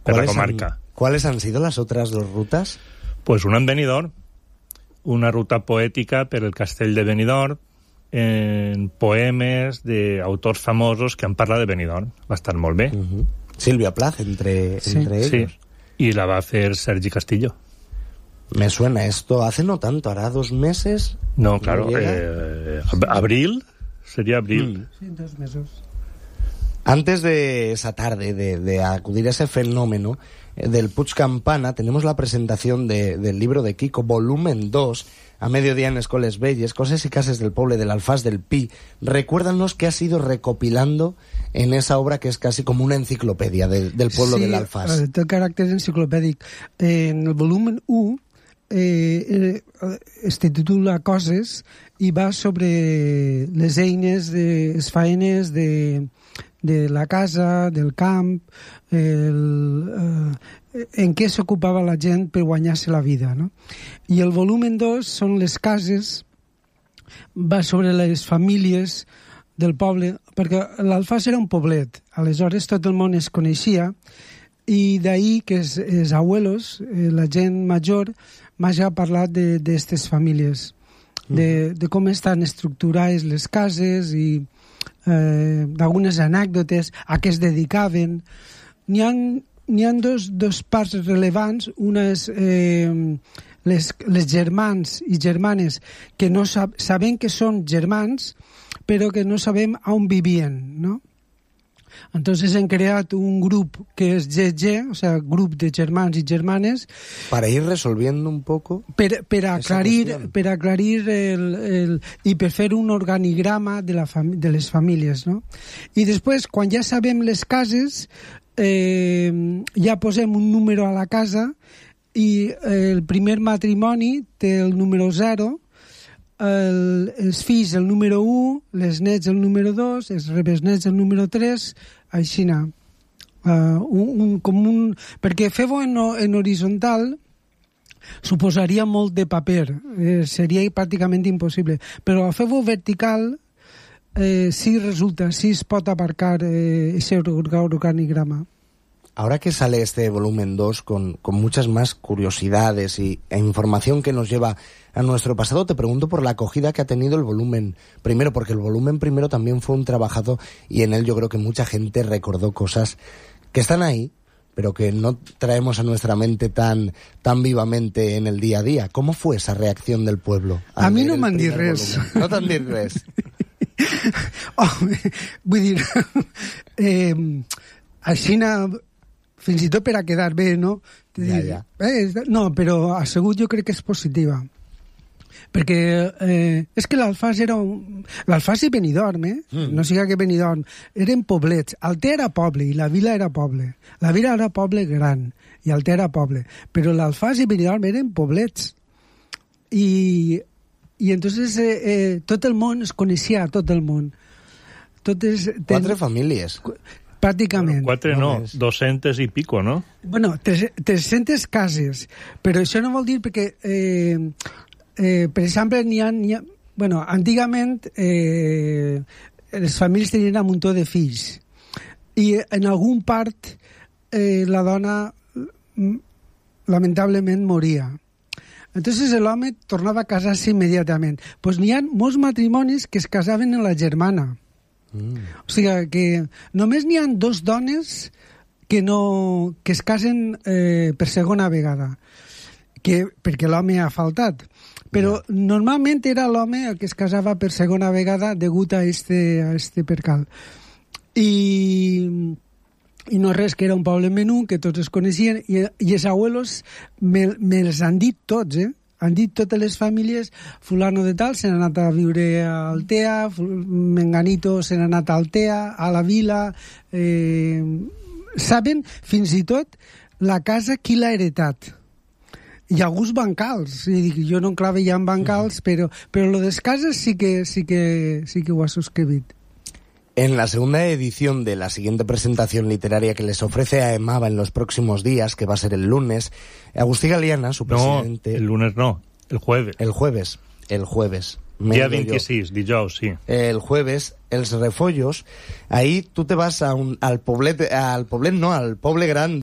per la comarca. ¿Cuáles han sido las otras dos rutas? Pues una en Benidorm, una ruta poètica per el castell de Benidorm, en poemes d'autors famosos que han parlat de Benidorm. Va estar molt bé. Silvia Plath, entre ellos. Sí, y la va a hacer Sergi Castillo. Me suena esto. Hace no tanto, hará 2 meses. No, claro. ¿Abril? Sería abril. Sí, 2 meses. Antes de esa tarde, de acudir a ese fenómeno del Puig Campana, tenemos la presentación del libro de Kiko, volumen 2, a mediodía en Escoles Belles, Coses y Cases del Poble del Alfàs del Pi. Recuérdanos qué has ido recopilando en esa obra que es casi como una enciclopedia del pueblo del Alfàs. Sí, té caràcter enciclopèdic. En el volumen 1 es titula Coses i va sobre les eines, les faenes de la casa, del camp, en què s'ocupava la gent per guanyar-se la vida, no? I el volumen 2 són les cases, va sobre les famílies del poble, perquè l'Alfàs era un poblet, aleshores tot el món es coneixia, i d'ahir que els abuelos, la gent major, m'ha ja parlat d'aquestes famílies, de com estan estructurades les cases i d'algunes anècdotes a què es dedicaven. N'hi ha dos parts relevants. Una és les germans i germanes que no sabem que són germans, però que no sabem on vivien, no? Entonces han creat un grup que es GG, o sea, grup de germans i germanes, para ir resolviendo un poco per aclarir i per fer un organigrama de les famílies, no? I després, quan ja sabem les cases, ja posem un número a la casa i el primer matrimoni té el número 0, els fills el número 1, les nets el número 2, els rebesnets el número 3, així anar. Perquè fer-ho en horitzontal suposaria molt de paper, seria pràcticament impossible, però fer-ho vertical sí resulta, sí es pot aparcar ese organigrama. Ahora que sale este volumen 2 con muchas más curiosidades e información que nos lleva a nuestro pasado, te pregunto por la acogida que ha tenido el volumen primero, porque el volumen primero también fue un trabajazo y en él yo creo que mucha gente recordó cosas que están ahí, pero que no traemos a nuestra mente tan vivamente en el día a día. ¿Cómo fue esa reacción del pueblo? A mi no m'han dit res. No t'han dit res? Vull dir, així fins i tot per a quedar bé, no? Ja. No, però assegut jo crec que és positiva. Perquè és que l'Alfàs era l'Alfàs i Benidorm, no siga que Benidorm, eren poblets. Altea era poble i la vila era poble. La vila era poble gran i Altea era poble. Però l'Alfàs i Benidorm eren poblets. I entonces tot el món es coneixia, tot el món. 4 famílies. Pràcticament. 4 no, 200 i pico, no? Bueno, 300 cases, però això no vol dir perquè, per exemple, n'hi ha... Bueno, antigament les famílies tenien un muntó de fills i en algun part la dona lamentablement moria. Entonces l'home tornava a casar-se immediatament. Pues n'hi ha molts matrimonis que es casaven en la germana. O sigui que només n'hi ha 2 dones que es casen per segona vegada, perquè l'home ha faltat, però normalment era l'home el que es casava per segona vegada degut a este percal. I no res, que era un poble menú que tots es coneixien i els abuelos me'ls han dit tots, han dit totes les famílies, fulano de tal se n'ha anat a viure a Altea, menganito se n'ha anat a Altea, a la vila, saben fins i tot la casa qui l'ha heretat. Hi ha alguns bancals, jo no enclave ja en bancals, però lo de les cases sí que ho ha subscrit. En la segunda edición de la siguiente presentación literaria que les ofrece a Emava en los próximos días, que va a ser el lunes, Agustí Galiana, su presidente... No, el lunes no, el jueves. El jueves. Día 26, dijous, sí. El jueves, Els Refollos, ahí tú te vas al Poblet, no, al Poble Gran